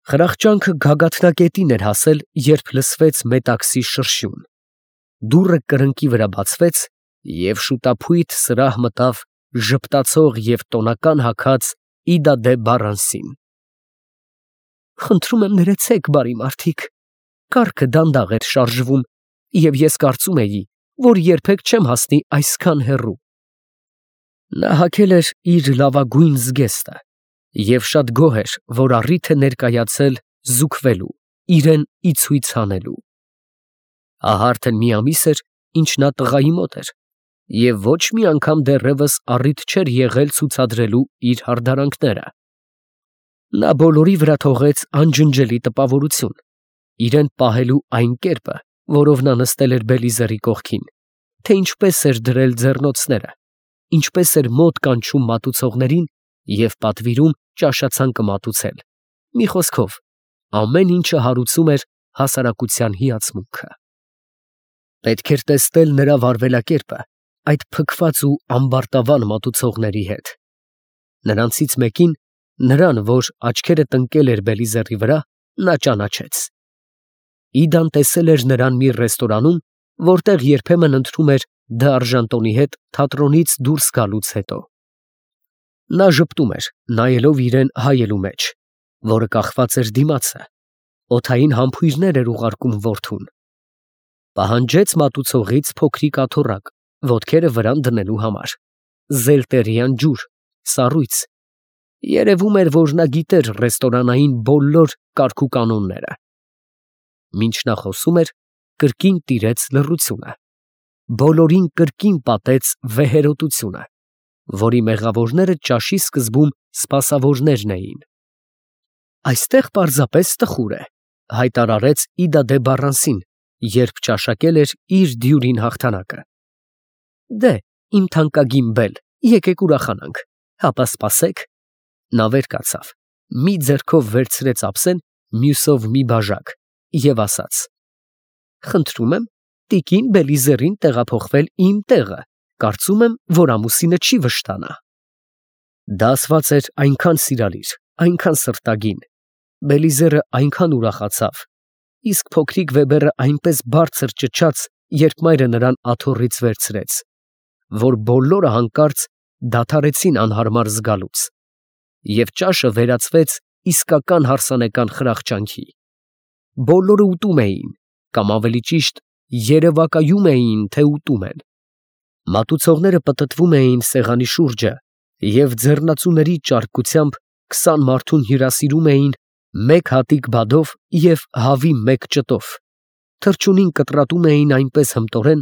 Խրախճանքը գագաթնակետին էր հասել, երբ լսվեց մետաքսի շրշյուն։ Դուռը կրկնակի վրա բացվեց, և շուտափույթ սրահ մտավ ժպտացող և տոնական հագած Իդա դե Բարանսին։ «Խնդրում եմ ներեցեք, բարի մարդիկ, կառքը դանդաղ էր շարժվում, և ես կարծում էի, որ երբեք չեմ հասնի այսքան հեռու»։ Նա հագել էր իր լավագույն զգեստը և շատ գոհ էր, որ առիթ է ներկայացել զուգվելու, իրեն ի ցույց հանելու։ Ահա արդեն մի ամիս էր, ինչ նա տղայի մոտ էր, և ոչ մի անգամ դեռևս առիթ չէր եղել ցուցադրելու իր հարդարանքները։ Նա բոլորի վրա թողեց անջնջելի տպավորություն, իրեն պահելու այն կերպը, որով նա նստել էր Բելիզերի կողքին, թե ինչպես էր դրել ձեռնոցները, ինչպես էր մոտ կանչում մատուցողներին և պատվիրում ճաշացանկը մատուցել, մի խոսքով, ամեն ինչը հարուցում էր հասարակության հիացմունքը։ Պետք էր տեսնել նրա վարվելակերպը այդ փքված ու ամբարտավան մատուցողների հետ։ Նրանցից մեկին, նրան, որ աչքերը տնկել էր Բելիզերի վրա, նա ճանաչեց։ Իդան տեսել էր նրան մի ռեստորանում, որտեղ երբեմն ընթրում էր դ'Արժանտոնի հետ թատրոնից դուրս գալուց հետո։ Նա ժպտում էր, նայելով իրան հայելու մեջ, որը կախված էր դիմացը, օդային համբույրներ էր ուղարկում որդուն։ Պահանջեց մատուցողից փոքրիկ աթոռակ, ոտքերը վրան դնելու համար, զելտերյան ջուր, սառույց։ Երևում էր, որ նա գիտեր ռեստորանային բոլոր կարգուկանոնները։ Մինչ նա խոսում էր, կրկին տիրեց լռությունը։ Բոլորին կրկին պատեց վեհերոտությունը, որի մեղավորները ճաշի սկզբում սպասավորներն էին։ «Այստեղ պարզապես տխուր է», հայտարարեց Իդա դե Բարանսին, երբ ճաշակել էր իր դյուրին հաղթանակը։ «Դե, իմ թանկագին բել, եկեք ուրախանանք, հապա սպասեք»։ Նա վեր կացավ, մի ձեռքով վերցրեց ափսեն, մյուսով մի բաժակ և ասաց. «Խնդրում եմ տիկին Բելիզերին տեղափոխվել իմ տեղը, կարծում եմ, որ ամուսինը չի վշտանա»։ Դա ասված էր այնքան սիրալիր, այնքան սրտագին, Բելիզերը այնքան ուրախացավ, իսկ փոքրիկ Վեբերը այնպես բարձր ճչաց, երբ մայրը նրան աթոռից վերցրեց, որ բոլորը հանկարծ դադարեցին անհարմար զգալուց, և ճաշը վերածվեց իսկական հարսանեկան խրախճանքի։ Բոլորը ուտում էին, կամ ավելի ճիշտ, երևակայում էին, թե ուտում են։ Մատուցողները պտտվում էին սեղանի շուրջը և ձեռնածուների ճարպկությամբ 20 մարդուն հյուրասիրում էին մեկ հատիկ բադով և հավի մեկ ճտով, թռչունին կտրատում էին այնպես հմտորեն,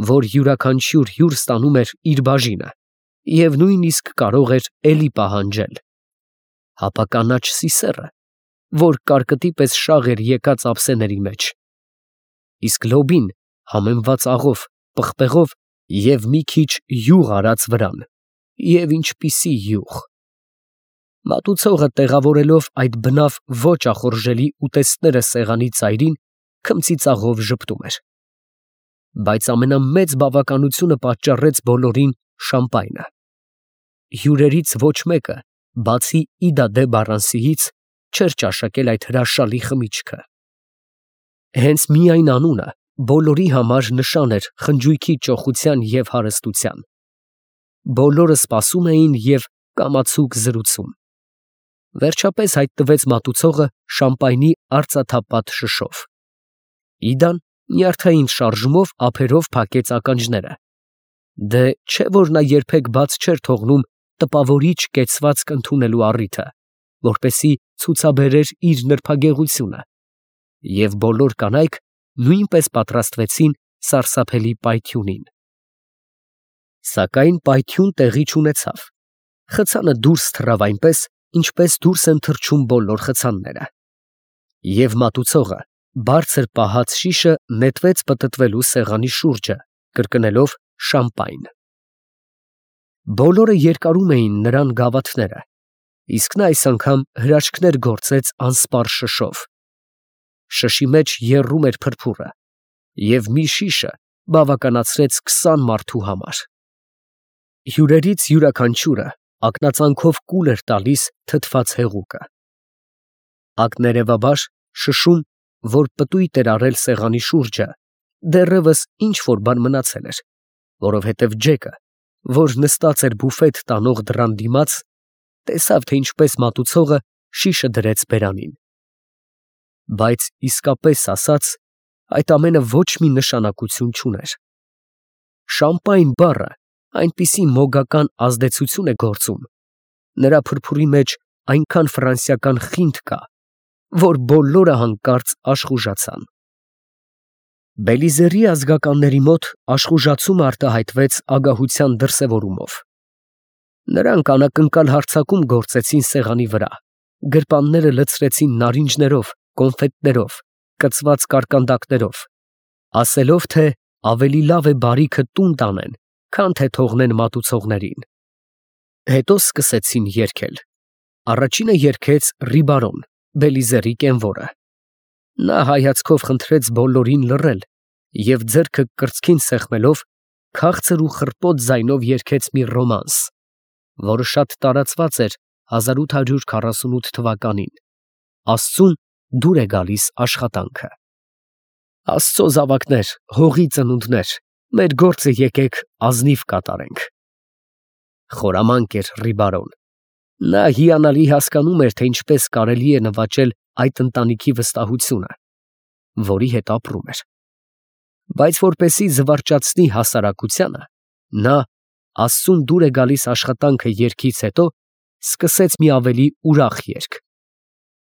որ յուրաքանչյուր հյուր ստանում էր իր բաժինը և նույնիսկ կարող էր էլի պահանջել։ Հապա կանաչ սիսեռը, որ կարկտի պես շաղ էր եկած ափսեների մեջ, իսկ լոբին համեմված աղով, պղպեղով և մի քիչ յուղ արած վրան, և ինչպիսի յուղ։ Մատուցողը, տեղավորելով այդ բնավ ոչ ախորժելի ուտեստները սեղանի ծայրին, քմծիծաղով ժպտում էր։ Բայց ամենամեծ բավականությունը պատճառեց բոլորին շամպայնը։ Հյուրերից ոչ մեկը, բացի Իդա դե Բարանսիից, չէր ճաշակել այդ հրաշալի խմիչքը։ Հենց միայն անունը բոլորի համար նշան էր խնջույքի ճոխության և հարստության։ Բոլորը սպասում էին և կամացուկ զրուցում։ Վերջապես հայտնվեց մատուցողը շամպայնի արծաթապատ շշով։ Իդան նյարդային շարժումով ափերով փակեց ականջները։ Դե չէ՞ որ նա երբեք բաց չէր թողնում տպավորիչ կեցվածք ընդունելու առիթը, որպեսզի ցուցաբերեր իր նրբագեղությունը, և բոլոր կանայք նույնպես պատրաստվեցին սարսափելի պայթյունին։ Սակայն պայթյուն տեղի չունեցավ։ Խցանը դուրս թռավ այնպես, ինչպես դուրս են թռչում բոլոր խցանները։ Եվ մատուցողը բարձր պահած շիշը նետվեց պտտվելու սեղանի շուրջը, կրկնելով շամպայն։ Բոլորը երկարում էին նրան գավաթները, իսկ նա այս անգամ հրաշքներ գործեց անսպառ շշով։ Շշի մեջ եռում էր փրփուրը, և մի շիշը բավականացրեց 20 մարդու համար։ Հյուրերից յուրաքանչյուրը ակնածանքով կուլ էր տալիս թթված հեղուկը։ Ակներևաբար շշում, որ պտույտ էր արել սեղանի շուրջը, դեռևս ինչ որ բան մնացել էր, որովհետև Ջեկը, որ նստած էր բուֆետ տանող դռան դիմաց, տեսավ, թե ինչպես մատուցողը շիշը դրեց բերանին։ Բայց իսկապես ասած, այդ ամենը ոչ մի նշանակություն չուներ։ Շամպայն բառը այնպիսի մոգական ազդեցություն է գործում, նրա փրփուրի մեջ այնքան ֆրանսիական խինդ կա, որ բոլորը հանկարծ աշխուժացան։ Բելիզերի ազգականների մոտ աշխուժացումը արտահայտվեց ագահության դրսևորումով։ Նրանք անակնկալ հարձակում գործեցին սեղանի վրա, գրպանները լցրեցին նարինջներով, կոնֆետներով, կծված կարկանդակներով, ասելով, թե ավելի լավ է բարիքը տուն տանեն, քան թե թողնեն մատուցողներին։ Հետո սկսեցին երգել։ Առաջինը երգեց Ռիբարոն, Բելիզերի կենվորը։ Նա հայացքով խնդրեց բոլորին լռել և ձեռքը կրծքին սեղմելով քաղցր ու խռպոտ ձայնով երգեց մի ռոմանս, որը շատ տարածված էր 1848 թվականին։ Աստծուն դուր է գալիս աշխատանքը։ Աստծո զավակներ, հողի ծնունդներ, մեր գործը եկեք ազնիվ կատարենք։ Խորամանկ էր Ռիբարոն։ Նա հիանալի հասկանում էր, թե ինչպես կարելի է նվաճել այդ ընտանիքի վստահությունը, որի հետ ապրում էր։ Բայց որպեսզի զվարճացնի հասարակությանը, նա Աստծուն դուր է գալիս աշխատանքը երգից հետո սկսեց մի ավելի ուրախ երգ։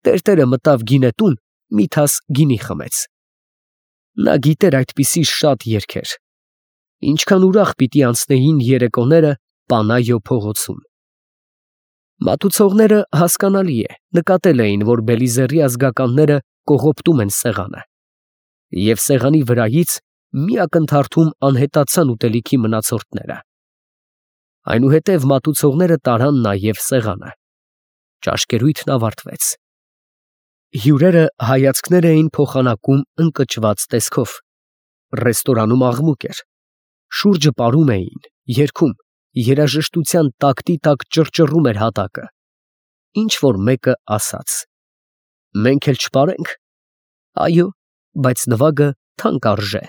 Տերտերը մտավ գինետուն, մի թաս գինի խմեց։ Նա գիտեր այդպիսի շատ երգեր։ Ինչքան ուրախ պիտի անցնեին երեկոները Պանայո փողոցում։ Մատուցողները, հասկանալի է, նկատել էին, որ Բելիզերի ազգականները կողոպտում են սեղանը, և սեղանի վրայից մի ակնթարթում անհետացան ուտելիքի մնացորդները։ Այնուհետև մատուցողները տարան նաև սեղանը։ Ճաշկերույթն ավարտվեց։ Հյուրերը հայացքներ էին փոխանակում ընկճված տեսքով։ Ռեստորանում աղմուկ էր։ Շուրջը պարում էին, երգում, երաժշտության տակտի տակ ճռճռում էր հատակը։ Ինչ որ մեկը ասաց. «Մենք էլ չպարենք»։ Այո, բայց նվագը թանկ արժե։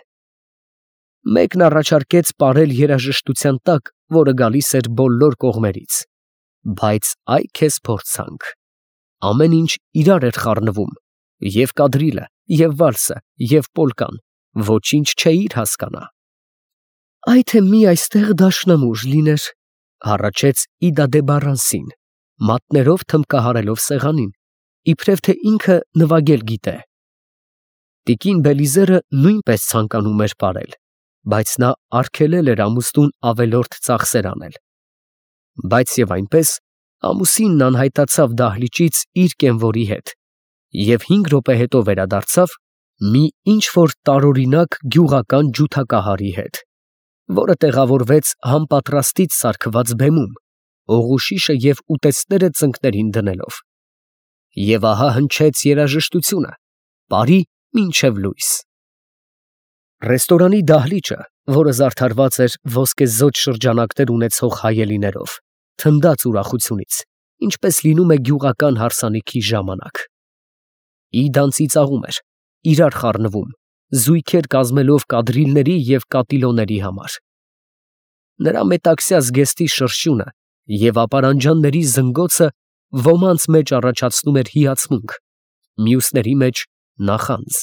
Մեկն առաջարկեց պարել երաժշտության տակ, որը գալիս էր բոլոր կողմերից։ Բայց այ քեզ փորձանք։ Ամեն ինչ իրար էր խառնվում, և կադրիլը, և վալսը, և պոլկան, ոչինչ չէիր հասկանա։ Այ թե մի այստեղ դաշնամուր լիներ, հառաչեց Իդա դե Բարանսին, մատներով թմբկահարելով սեղանին, իբրև թե ինքը նվագել գիտե։ Տիկին Բելիզերը նույնպես ցանկանում էր պարել, բայց նա արգելել էր ամուսնուն ավելորդ ծախսեր անել։ Բայց և այնպես ամուսինն անհայտացավ դահլիճից իր կենվորի հետ և 5 րոպե հետո վերադարձավ մի ինչ-որ տարօրինակ գյուղական ջութակահարի հետ, որը տեղավորվեց համպատրաստից սարքված բեմում, հողուշիշը և ուտեստները ծնկներին դնելով։ Եվ ահա հնչեց երաժշտությունը, պարի մինչև լույս։ Ռեստորանի դահլիճը, որը զարդարված էր ոսկեզօծ շրջանակներ ունեցող հայելիներով, թնդաց ուրախությունից, ինչպես լինում է գյուղական հարսանիքի ժամանակ։ Իդան ծիծաղում էր, իրար խառնվում, զույգեր կազմելով կադրիլների և կատիլոների համար։ Նրա մետաքսյա զգեստի շրշյունը և ապարանջանների զնգոցը ոմանց մեջ առաջացնում էր հիացմունք, մյուսների մեջ նախանձ։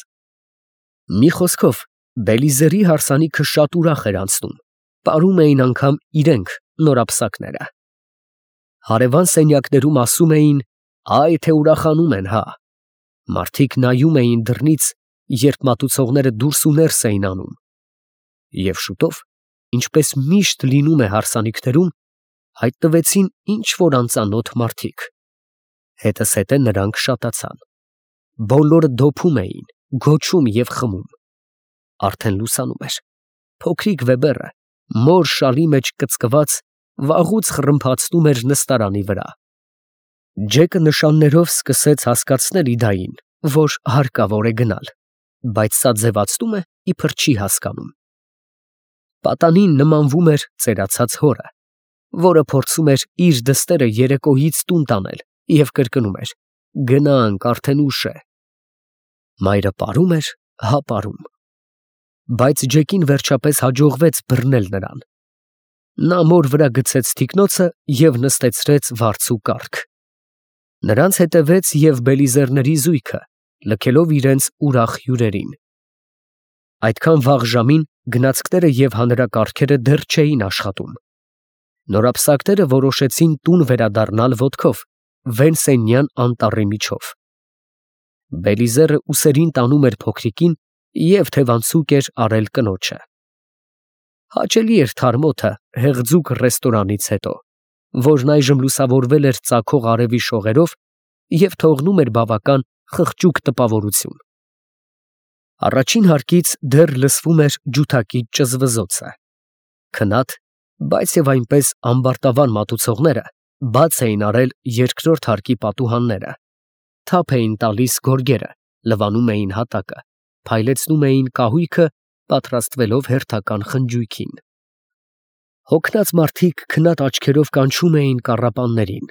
Մի խոսքով, Բելիզերի հարսանիքը շատ ուրախ էր անցնում, պարում էին անգամ իրենք նորապսակները։ Հարևան սենյակներում ասում էին. «Այ թե ուրախանում են, հա»։ Մարդիկ նայում էին դռնից, երբ մատուցողները դուրս ու ներս էին անում։ Եվ շուտով, ինչպես միշտ լինում է հարսանիքներում, հայտնվեցին ինչ որ անծանոթ մարդիկ։ Հետզհետե նրանք շատացան։ Բոլորը դոփում էին, գոչում և խմում։ Արդեն լուսանում էր։ Փոքրիկ Վեբերը, մոր շալի մեջ կծկված, վաղուց խռմփացնում էր նստարանի վրա։ Ջեկը նշաններով սկսեց հասկացնել Իդային, որ հարկավոր է գնալ, բայց սա ձևացնում է, իբր չի հասկանում։ Պատանին նմանվում էր ծերացած հորը, որը փորձում էր իր դստերը երեկոյից տուն տանել և կրկնում էր. Գնանք, արդեն ուշ է։ Մայրը պարում էր, հա պարում։ Բայց Ջեկին վերջապես հաջողվեց բռնել նրան։ Նա մոր վրա գցեց թիկնոցը և նստեցրեց վարձու կառք։ Նրանց հետևեց և բելիզերների զույգը, լքելով իրենց ուրախ հյուրերին։ Այդքան վաղ ժամին գնացքները և հանրակառքերը դեռ չէին աշխատում։ Նորապսակները որոշեցին տուն վերադառնալ ոտքով, Վենսենյան անտառի միջով։ Բելիզերը ուսերին տանում էր փոքրիկին և թևանցուկ էր արել կնոջը։ Հաճելի էր թարմոթը հեղձուկ ռեստորանից հետո, որն այժմ լուսավորվել էր ծագող արևի շողերով և թողնում էր բավական խղճուկ տպավորություն։ Առաջին հարկից դեռ լսվում էր ջութակի ճզվզոցը։ Քնած, բայց և այնպես ամբարտավան մատուցողները բաց էին արել երկրորդ հարկի պատուհանները, թափ էին տալիս գորգերը, լվանում էին հատակը, փայլեցնում էին կահույքը, պատրաստվելով հերթական խնջույքին։ Հոգնած մարդիկ քնած աչքերով կանչում էին կառապաններին,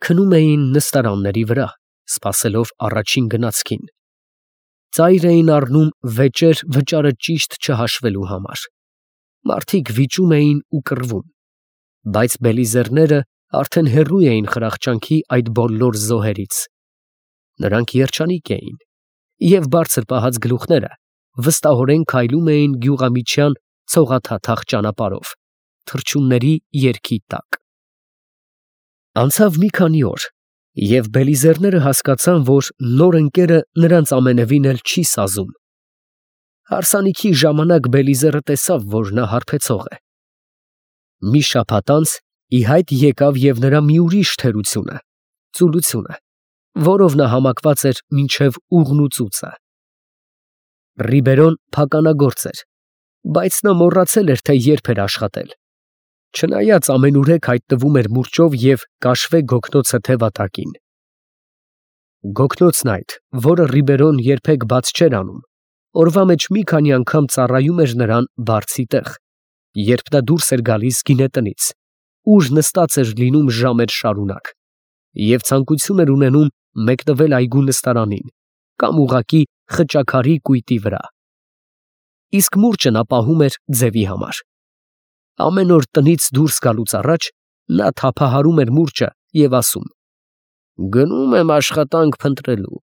քնում էին նստարանների վրա, սպասելով առաջին գնացքին։ Ծայր էին առնում վեճեր վճարը ճիշտ չհաշվելու համար։ Մարդիկ վիճում էին ու կռվում, բայց բելիզերները արդեն հեռու էին խրախճանքի այդ բոլոր զոհերից։ Նրանք երջանիկ էին, և բարձր պահած գլուխները վստահորեն քայլում էին գյուղամիջյան ցողաթաթախ ճանապարհով, թռչունների երգի տակ։ Անցավ մի քանի օր, և բելիզերները հասկացան, որ նոր ընկերը նրանց ամենևին էլ չի սազում։ Հարսանիքի ժամանակ բելիզերը տեսավ, որ նա հարբեցող է։ Մի շաբաթ անց ի հայտ եկավ և նրա մի ուրիշ թերությունը, ծուլությունը, որով նա համակված էր մինչև ուղն ու ծուծը։ Ռիբերոն փականագործ էր, բայց նա մոռացել էր, թե երբ էր աշխատել։ Չնայած ամենուրեք հայտնվում էր մուրճով և կաշվե գոգնոցը թևատակին։ Գոգնոցն այդ, որը Ռիբերոն երբեք բաց չէր անում, օրվա մեջ մի քանի անգամ ծառայում էր նրան բարձի տեղ, երբ նա դուրս էր գալիս գինետնից, ուր նստած էր լինում ժամեր շարունակ, և ցանկություն էր ունենում մեկնվել այգու նստարանին կամ ուղղակի խճաքարի կույտի վրա։ Իսկ մուրճը նա պահում էր ձևի համար։ Ամեն օր տնից դուրս գալուց առաջ նա թափահարում էր մուրճը և ասում. «Գնում եմ աշխատանք փնտրելու»։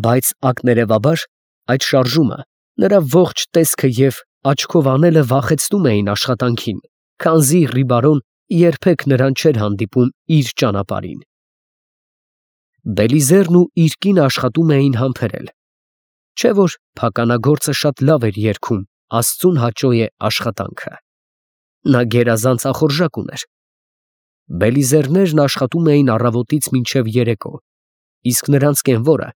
Բայց ակներևաբար այդ շարժումը, նրա ողջ տեսքը և աչքով անելը վախեցնում էին աշխատանքին, քանզի Ռիբարոն երբեք նրան չէր հանդիպում իր ճանապարհին։ Բելիզերն ու իր կինը աշխատում էին համբերել, չէ՞ որ փականագործը շատ լավ էր երգում «Աստծուն հաճո է աշխատանքը»։ Նա գերազանց ախորժակ ուներ։ Բելիզերներն աշխատում էին առավոտից մինչև երեկո, իսկ նրանց կենվորը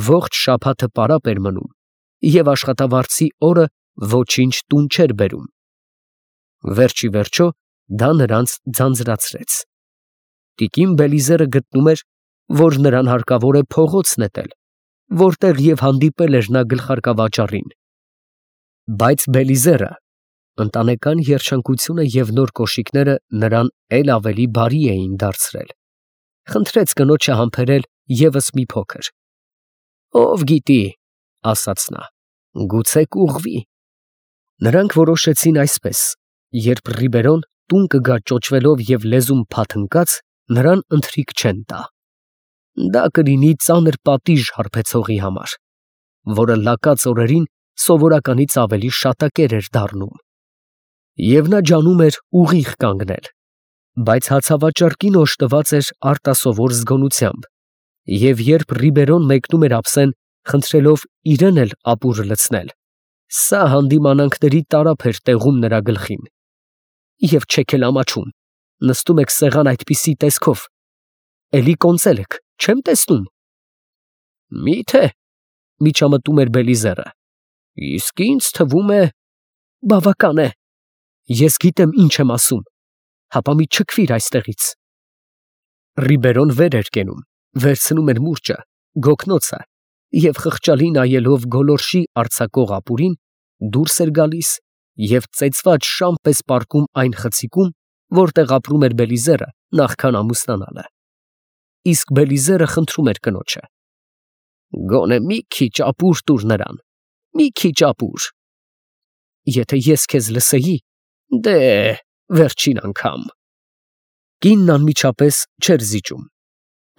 ողջ շաբաթը պարապ էր մնում և աշխատավարձի օրը ոչինչ տուն չէր բերում։ Վերջ ի վերջո դա նրանց ձանձրացրեց։ Տիկին Բելիզերը գտնում էր, որ նրան հարկավոր է փողոց նետել, որտեղ և հանդիպել էր նա գլխարկավաճառին։ Բայց Բելիզերը, ընտանեկան երջանկությունը և նոր կոշիկները նրան էլ ավելի բարի էին դարձրել, խնդրեց կնոջը համբերել ևս մի փոքր։ «Ով գիտի, ֊ ասաց նա, ֊ գուցե կուղվի»։ Նրանք որոշեցին այսպես. երբ Ռիբերոն տուն կգա ճոճվելով և լեզուն փաթնկած, նրան ընթրիք չեն տա։ Դա կլինի ծանր պատիժ հարբեցողի համար, որը լակած օրերին սովորականից ավելի շատակեր էր դառնում։ Եվ նա ջանում էր ուղիղ կանգնել, բայց հացավաճառ կինը օժտված էր արտասովոր զգոնությամբ, և երբ Ռիբերոն մեկնում էր ափսեն, խնդրելով իրեն էլ ապուրը լցնել, սա հանդիմանանքների տարափ էր տեղում նրա գլխին։ Եվ չեք էլ ամաչում, նստում եք սեղան այդպիսի տեսքով, էլի կոնծել եք, չեմ տեսնում։ Մի՞թե, ֊ միջամտում էր Բելիզերը, ֊ իսկ ինձ թվում է… բավական է, ես գիտեմ ինչ եմ ասում, հապա մի չքվիր այստեղից։ Ռիբերոն վեր էր կենում, վերցնում էր մուրճը, գոգնոցը և խղճալի նայելով գոլորշի արձակող ապուրին, դուրս էր գալիս և ծեծված շան պես պառկում այն խցիկում, որտեղ ապրում էր Բելիզերը նախքան ամուսնանալը։ իսկ Բելիզերը խնդրում էր կնոջը. «Գոնե մի քիչ ապուր տուր նրան, մի քիչ ապուր»։ «Եթե ես քեզ լսեի, դե, վերջին անգամ»։ Կինն անմիջապես չէր զիջում.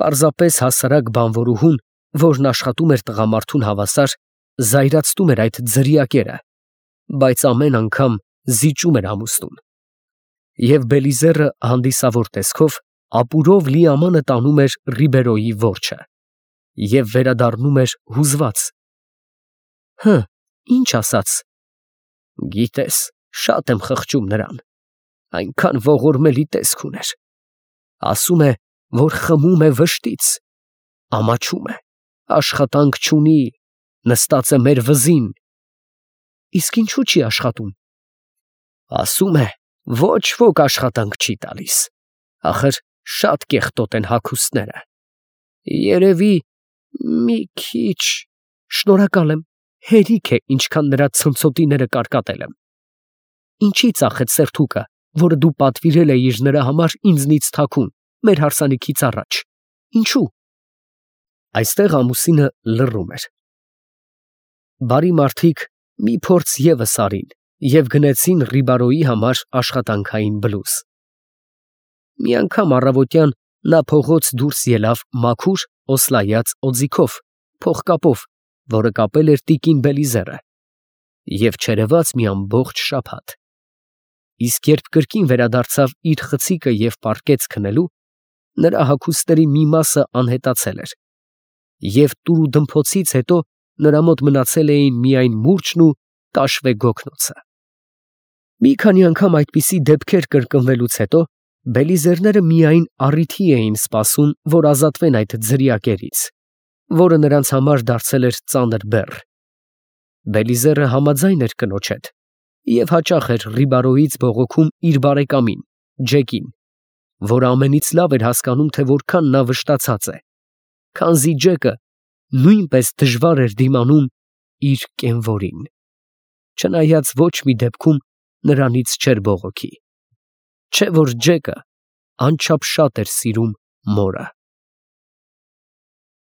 պարզապես հասարակ բանվորուհուն, որն աշխատում էր տղամարդուն հավասար, զայրացնում էր այդ ձրիակերը, բայց ամեն անգամ զիջում էր ամուսնուն։ Եվ Բելիզերը հանդիսավոր տեսքով ապուրով լի ամանը տանում էր Ռիբերոյի որջը և վերադառնում էր հուզված։ Հը, ինչ ասաց։ Գիտես, շատ եմ խղճում նրան, այնքան ողորմելի տեսք ուներ։ Ասում է, որ խմում է վշտից, ամաչում է, աշխատանք չունի, նստած է մեր վզին։ Իսկ ինչու չի աշխատում։ Ասում է, ոչ ոք աշխատանք չի տալիս, ախր շատ կեղտոտ են հագուստները։ Երևի մի քիչ… Շնորհակալ եմ, հերիք է, ինչքան նրա ցնցոտիները կարկատել եմ։ Ինչի ծախեց սերթուկը, որը դու պատվիրել էիր նրա համար ինձնից թաքուն, մեր հարսանիքից առաջ։ Ինչու։ Այստեղ ամուսինը լռում էր։ Բարի մարդիկ մի փորձ ևս արին և գնեցին Ռիբարոյի համար աշխատանքային բլուզ։ Մի անգամ առավոտյան նա փողոց դուրս ելավ մաքուր օսլայած օձիքով, փողկապով, որը կապել էր տիկին Բելիզերը, և չերևաց մի ամբողջ շաբաթ։ Իսկ երբ կրկին վերադարձավ իր խցիկը և պառկեց քնելու, նրա հագուստների մի մասը անհետացել էր, և տուրուդմփոցից հետո նրա մոտ մնացել էին միայն մուրճն ու տաշվե գոգնոցը։ Մի քանի անգամ այդպիսի դեպքեր կրկնվելուց հետո Բելիզերները միայն առիթի էին սպասում, որ ազատվեն այդ ձրիակերից, որը նրանց համար դարձել էր ծանր բեռ։ Բելիզերը համաձայն էր կնոջ հետ և հաճախ էր Ռիբարոյից բողոքում իր բարեկամին, Ջեկին, որը ամենից լավ էր հասկանում, թե որքան նա վշտացած է, քանզի Ջեկը նույնպես դժվար էր դիմանում իր կենվորին, չնայած ոչ մի դեպքում նրանից չէր բողոքի, չէ որ Ջեկը անչափ շատ էր սիրում մորը։